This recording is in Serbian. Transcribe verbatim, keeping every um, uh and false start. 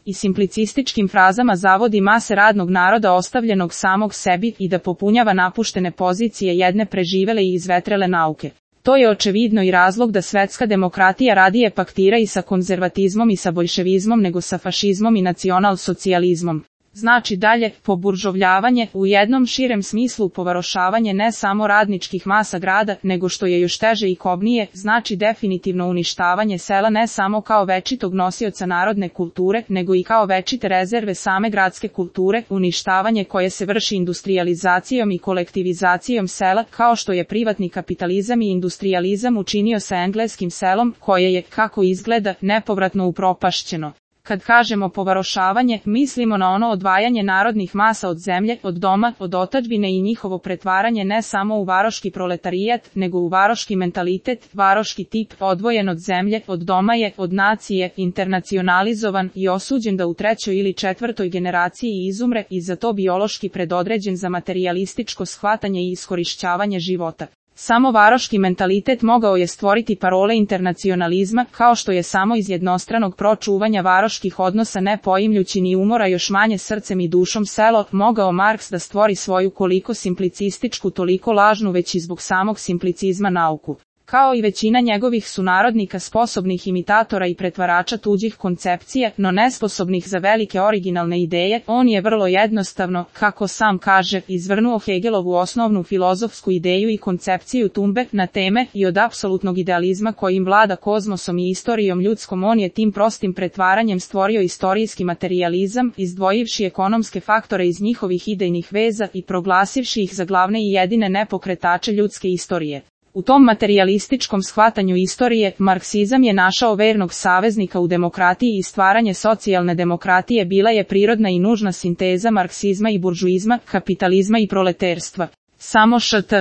i simplicističkim frazama zavodi mase radnog naroda ostavljenog samog sebi i da popunjava napuštene pozicije jedne preživele i izvetrele nauke. To je očevidno i razlog da svetska demokratija radije paktira i sa konzervatizmom i sa boljševizmom nego sa fašizmom i nacionalsocijalizmom. Znači dalje, poburžovljavanje, u jednom širem smislu povarošavanje ne samo radničkih masa grada, nego što je još teže i kobnije, znači definitivno uništavanje sela ne samo kao večitog nosioca narodne kulture, nego i kao večite rezerve same gradske kulture, uništavanje koje se vrši industrijalizacijom i kolektivizacijom sela, kao što je privatni kapitalizam i industrijalizam učinio sa engleskim selom, koje je, kako izgleda, nepovratno upropašćeno. Kad kažemo povarošavanje, mislimo na ono odvajanje narodnih masa od zemlje, od doma, od otadžbine i njihovo pretvaranje ne samo u varoški proletarijat, nego u varoški mentalitet, varoški tip, odvojen od zemlje, od doma je, od nacije, internacionalizovan i osuđen da u trećoj ili četvrtoj generaciji izumre i za to biološki predodređen za materijalističko shvatanje i iskorišćavanje života. Samo varoški mentalitet mogao je stvoriti parole internacionalizma, kao što je samo iz jednostranog pročuvanja varoških odnosa ne poimljući ni umora još manje srcem i dušom selo, mogao Marks da stvori svoju koliko simplicističku toliko lažnu već i zbog samog simplicizma nauku. Kao i većina njegovih sunarodnika sposobnih imitatora i pretvarača tuđih koncepcija, no nesposobnih za velike originalne ideje, on je vrlo jednostavno, kako sam kaže, izvrnuo Hegelovu osnovnu filozofsku ideju i koncepciju tumbe na teme i od apsolutnog idealizma kojim vlada kozmosom i istorijom ljudskom on je tim prostim pretvaranjem stvorio istorijski materijalizam, izdvojivši ekonomske faktore iz njihovih idejnih veza i proglasivši ih za glavne i jedine nepokretače ljudske istorije. U tom materijalističkom shvatanju istorije, marksizam je našao vernog saveznika u demokratiji i stvaranje socijalne demokratije bila je prirodna i nužna sinteza marksizma i buržuizma, kapitalizma i proleterstva. Samo št.